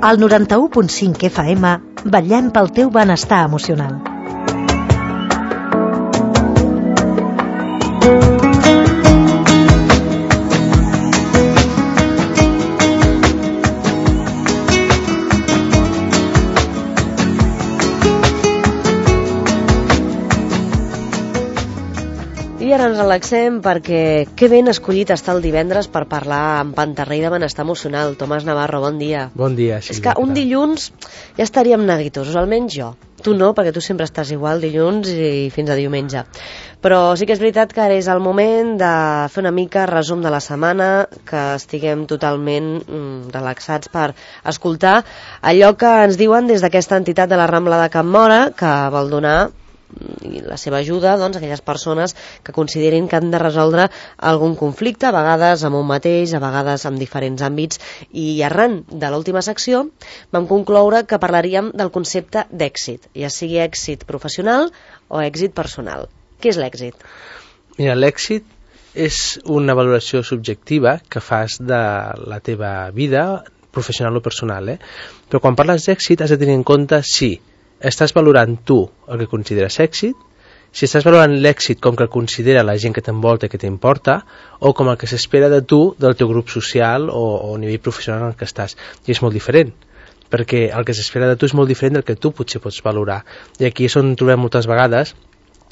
Al 91.5 FM vetllem pel teu benestar emocional. I ara ens relaxem perquè que ben escollit està el divendres per parlar amb Pantarrei de benestar emocional. Tomàs Navarro, bon dia. Bon dia, Sílvia. És que un dilluns ja estaríem neguitosos, almenys jo. Tu no, perquè tu sempre estàs igual dilluns i fins a diumenge. Però sí que és veritat que ara és el moment de fer una mica resum de la setmana, que estiguem totalment relaxats per escoltar allò que ens diuen des d'aquesta entitat de la Rambla de Can Móra, que vol donar i la seva ajuda doncs, a aquelles persones que considerin que han de resoldre algun conflicte, a vegades amb un mateix, a vegades amb diferents àmbits, i arran de l'última secció vam concloure que parlaríem del concepte d'èxit, ja sigui èxit professional o èxit personal. Què és l'èxit? Mira, l'èxit és una valoració subjectiva que fas de la teva vida professional o personal, però quan parles d'èxit has de tenir en compte si estàs valorant tu el que consideres èxit, si estàs valorant l'èxit com que el considera la gent que t'envolta i que t'importa, o com el que s'espera de tu, del teu grup social o nivell professional en el que estàs. I és molt diferent, perquè el que s'espera de tu és molt diferent del que tu potser pots valorar. I aquí és on trobem moltes vegades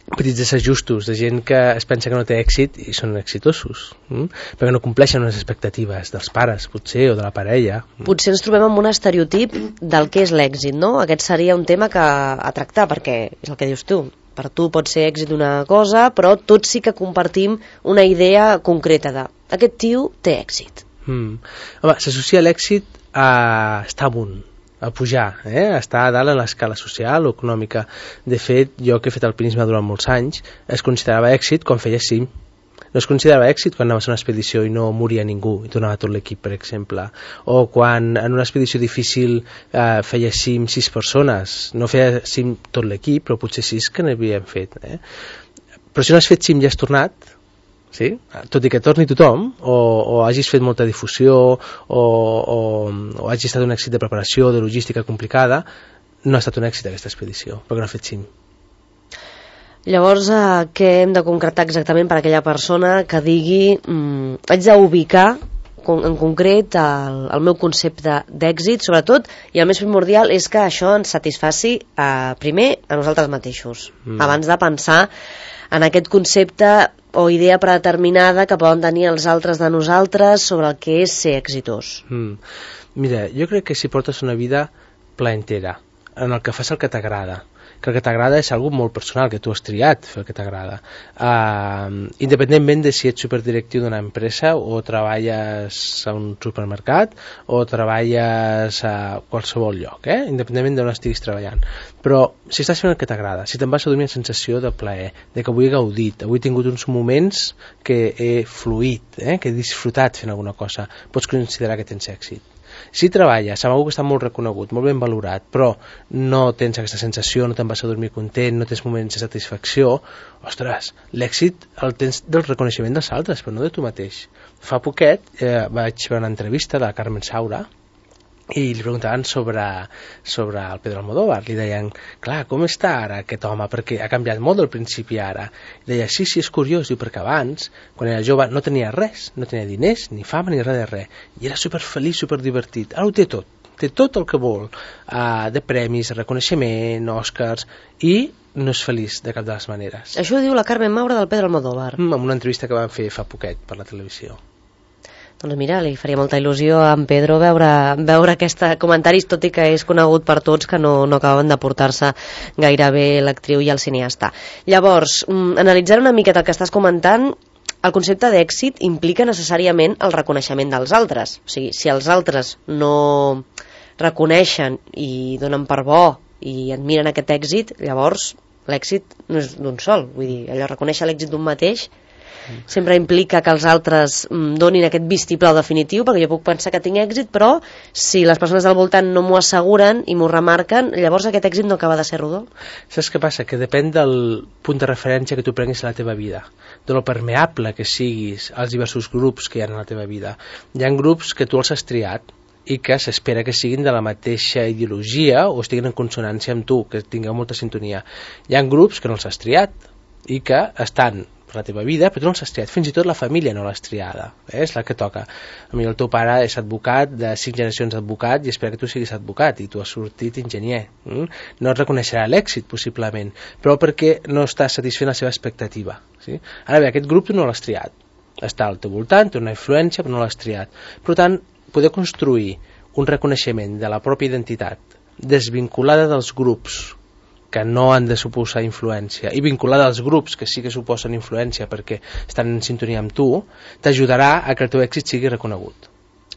petits desajustos de gent que es pensa que no té èxit i són exitosos, perquè no compleixen unes expectatives dels pares, potser, o de la parella. Potser ens trobem amb un estereotip del que és l'èxit, no? Aquest seria un tema a tractar, perquè és el que dius tu. Per tu pot ser èxit una cosa, però tots sí que compartim una idea concreta de aquest tio té èxit. Home, s'associa l'èxit a estar amunt, a pujar, a estar a dalt en l'escala social o econòmica. De fet, jo que he fet alpinisme durant molts anys, es considerava èxit quan feia cim. No es considerava èxit quan anaves a una expedició i no moria ningú i tornava tot l'equip, per exemple. O quan en una expedició difícil feia cim 6 persones. No feia cim tot l'equip, però potser 6 que n'havien fet. Però si no has fet cim i has tornat, sí? Tot i que torni tothom, o hagis fet molta difusió, o hagi estat un èxit de preparació, de logística complicada, no ha estat un èxit aquesta expedició, perquè no ha fet cim. Llavors, què hem de concretar exactament per a aquella persona que digui haig d'ubicar en concret el meu concepte d'èxit, sobretot, i el més primordial és que això ens satisfaci primer a nosaltres mateixos, abans de pensar en aquest concepte o idea predeterminada que poden tenir els altres de nosaltres sobre el que és ser exitós. Mira, jo crec que si portes una vida plaentera, en el que fas el que t'agrada, que el que t'agrada és algo molt personal, que tu has triat fer el que t'agrada, independentment de si ets superdirectiu d'una empresa o treballes a un supermercat o treballes a qualsevol lloc, independentment d'on estiguis treballant. Però si estàs fent el que t'agrada, si te'n vas a dormir amb sensació de plaer, de que avui he gaudit, avui he tingut uns moments que he fluït, que he disfrutat fent alguna cosa, pots considerar que tens èxit. Si treballes amb algú que està molt reconegut, molt ben valorat, però no tens aquesta sensació, no te'n vas a dormir content, no tens moments de satisfacció, ostres, l'èxit el tens del reconeixement dels altres, però no de tu mateix. Fa poquet vaig veure una entrevista de la Carmen Saura i li preguntaven sobre el Pedro Almodóvar. Li deien, clar, com està ara aquest home? Perquè ha canviat molt del principi ara. I deia, sí, és curiós, diu, perquè abans, quan era jove, no tenia res, no tenia diners, ni fama, ni res de res. I era superfeliç, superdivertit. Ara ho té tot el que vol, de premis, de reconeixement, Oscars, i no és feliç de cap de les maneres. Això ho diu la Carmen Maura del Pedro Almodóvar. En una entrevista que van fer fa poquet per la televisió. Doncs mira, li faria molta il·lusió a en Pedro veure aquests comentaris, tot i que és conegut per tots que no acaben de portar-se gaire bé l'actriu i el cineasta. Llavors, analitzant una miqueta el que estàs comentant, el concepte d'èxit implica necessàriament el reconeixement dels altres. O sigui, si els altres no reconeixen i donen per bo i admiren aquest èxit, llavors l'èxit no és d'un sol. Vull dir, allò reconèixer l'èxit d'un mateix sempre implica que els altres donin aquest vistiplau definitiu, perquè jo puc pensar que tinc èxit, però si les persones del voltant no m'ho asseguren i m'ho remarquen, llavors aquest èxit no acaba de ser rodó. Saps què passa? Que depèn del punt de referència que tu prenguis a la teva vida, de lo permeable que siguis als diversos grups que hi ha en la teva vida. Hi ha grups que tu els has triat, i que s'espera que siguin de la mateixa ideologia o estiguin en consonància amb tu, que tingueu molta sintonia. Hi ha grups que no els has triat i que estan per la teva vida, però tu no els has triat, fins i tot la família no l'has triada, és la que toca. A mi el teu pare és advocat, de 5 generacions d'advocat, i espera que tu siguis advocat, i tu has sortit enginyer. No et reconeixerà l'èxit, possiblement, però perquè no estàs satisfent la seva expectativa. Sí? Ara bé, aquest grup tu no l'has triat, està al teu voltant, té una influència, però no l'has triat. Per tant, poder construir un reconeixement de la pròpia identitat desvinculada dels grups que no han de suposar influència i vinculada als grups que sí que suposen influència perquè estan en sintonia amb tu, t'ajudarà a que el teu èxit sigui reconegut.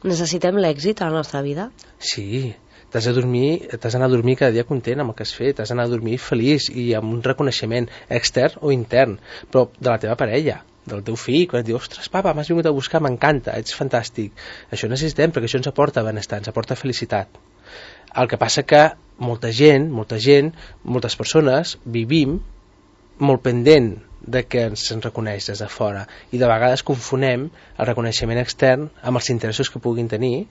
Necessitem l'èxit a la nostra vida? Sí, t'has d'anar a dormir cada dia content amb el que has fet, t'has d'anar a dormir feliç i amb un reconeixement extern o intern, però de la teva parella, del teu fill, quan et diu, ostres, papa, m'has vingut a buscar, m'encanta, ets fantàstic. Això necessitem, perquè això ens aporta benestar, ens aporta felicitat. El que passa que moltes persones vivim molt pendent de que se'n reconeix des de fora i de vegades confonem el reconeixement extern amb els interessos que puguin tenir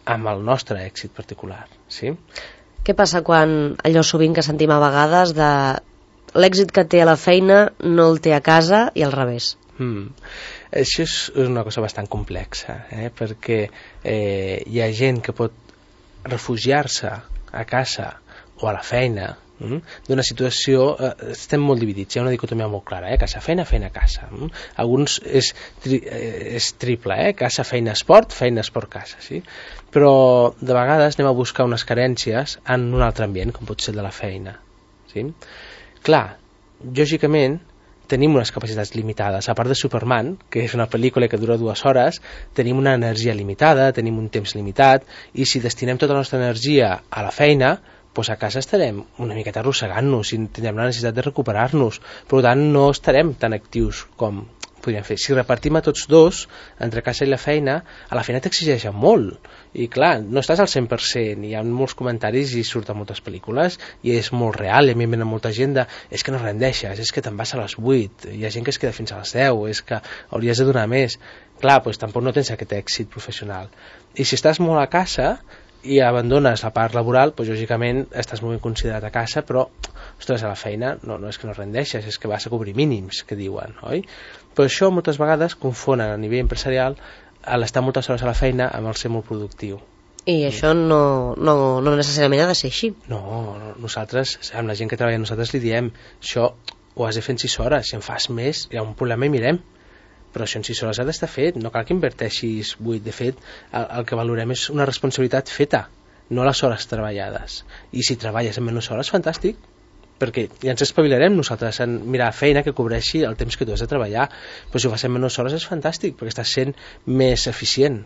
amb el nostre èxit particular. Sí? Què passa quan allò sovint que sentim a vegades de l'èxit que té a la feina no el té a casa i al revés? Això és una cosa bastant complexa, perquè hi ha gent que pot refugiar-se a casa o a la feina d'una situació, estem molt dividits, hi ha una dicotomia molt clara, casa, feina, feina, casa. Alguns és triple, casa, feina, esport, casa, sí? Però de vegades anem a buscar unes carències en un altre ambient, com pot ser de la feina. Sí? Clar, lògicament tenim unes capacitats limitades. A part de Superman, que és una pel·lícula que dura 2 hores, tenim una energia limitada, tenim un temps limitat, i si destinem tota la nostra energia a la feina, doncs a casa estarem una miqueta arrossegant-nos i tindrem la necessitat de recuperar-nos. Per tant, no estarem tan actius com podríem fer. Si repartim a tots dos, entre casa i la feina, a la feina t'exigeixen molt. I clar, no estàs al 100%, hi ha molts comentaris i surten moltes pel·lícules, i és molt real, i a mi em venen molta gent de és que no rendeixes, és que te'n vas a les 8, hi ha gent que es queda fins a les 10, és que hauries de donar més. Clar, doncs tampoc no tens aquest èxit professional. I si estàs molt a casa i abandones la part laboral, doncs lògicament estàs molt ben considerat a casa, però ostres, a la feina no és que no rendeixes, és que vas a cobrir mínims, que diuen, oi? Però això moltes vegades confonen a nivell empresarial l'estar moltes hores a la feina amb el ser molt productiu. I això no necessàriament ha de ser així. No, nosaltres, amb la gent que treballa nosaltres li diem, això ho has de fer en 6 hores, si en fas més hi ha un problema i mirem, però això en 6 hores ha d'estar fet, no cal que inverteixis 8, de fet el que valorem és una responsabilitat feta, no les hores treballades, i si treballes en menys hores, fantàstic, perquè ja ens espavilarem nosaltres en mirar feina que cobreixi el temps que tu has de treballar, però si ho fas en menys hores és fantàstic, perquè estàs sent més eficient.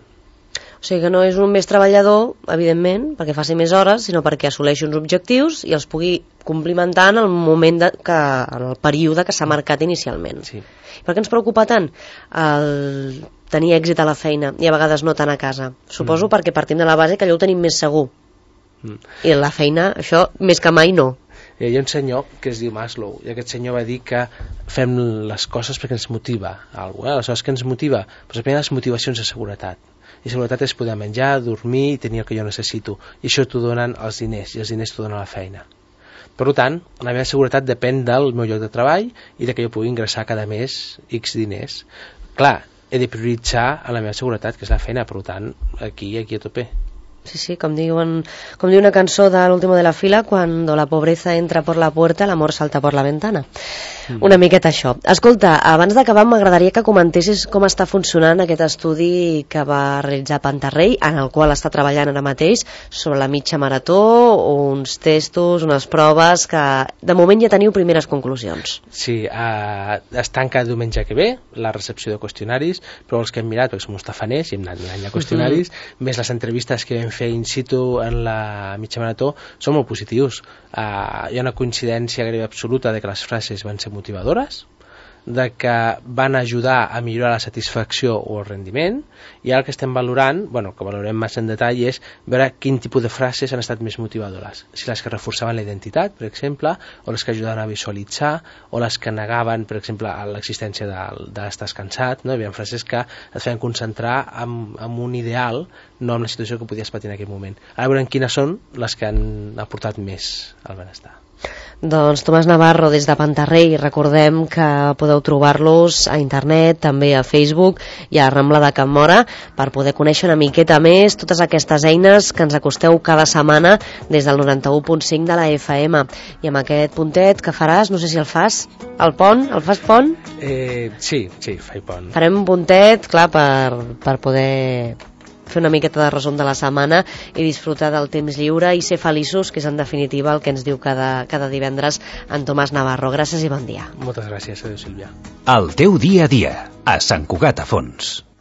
O sigui que no és un més treballador, evidentment, perquè faci més hores, sinó perquè assoleixi uns objectius i els pugui complimentar en el moment en el període que s'ha marcat inicialment. Sí. Per què ens preocupa tant el tenir èxit a la feina i a vegades no tant a casa? Suposo perquè partim de la base que allò ho tenim més segur. I la feina, això, més que mai no. Hi ha un senyor que es diu Maslow, i aquest senyor va dir que fem les coses perquè ens motiva alguna cosa. Aleshores, què ens motiva? Pues, les motivacions de seguretat. I seguretat és poder menjar, dormir i tenir el que jo necessito. I això t'ho donen els diners, i els diners t'ho donen la feina. Per tant, la meva seguretat depèn del meu lloc de treball i de que jo pugui ingressar cada mes X diners. Clar, he de prioritzar a la meva seguretat, que és la feina, per tant, aquí a tope. Sí, com diu una cançó de l'último de la fila, cuando la pobreza entra por la puerta, el amor salta por la ventana. Una miqueta això. Escolta, abans d'acabar m'agradaria que comentessis com està funcionant aquest estudi que va realitzar Pantarrey, en el qual està treballant ara mateix sobre la mitja marató, uns testos, unes proves que de moment ja teniu primeres conclusions. Sí, es tanca diumenge que ve la recepció de qüestionaris, però els que hem mirat, perquè som uns tafaners i hem anat mirant qüestionaris, més les entrevistes que vam fer in situ en la mitja marató són molt positius. Hi ha una coincidència gairebé absoluta de que les frases van ser motivadores, de que van ajudar a millorar la satisfacció o el rendiment, i ara el que estem valorant, que valorem massa en detall, és veure quin tipus de frases han estat més motivadores. Si les que reforçaven la identitat, per exemple, o les que ajudaven a visualitzar, o les que negaven, per exemple, l'existència d'estar cansat, no? Hi havia frases que et feien concentrar en un ideal, no en la situació que podies patir en aquell moment. Ara veurem quines són les que han aportat més al benestar. Doncs Tomàs Navarro, des de Pantarrey, recordem que podeu trobar-los a internet, també a Facebook i a Rambla de Can Móra, per poder conèixer una miqueta més totes aquestes eines que ens acosteu cada setmana des del 91.5 de la FM. I amb aquest puntet que faràs, no sé si el fas, el pont, el fas pont? Sí, faig pont. Farem un puntet, clar, per poder fer una miqueta de resum de la setmana i disfrutar del temps lliure i ser feliços, que és en definitiva el que ens diu cada divendres en Tomàs Navarro. Gràcies i bon dia. Moltes gràcies, adéu Sílvia. El teu dia a dia, a Sant Cugat a Fons.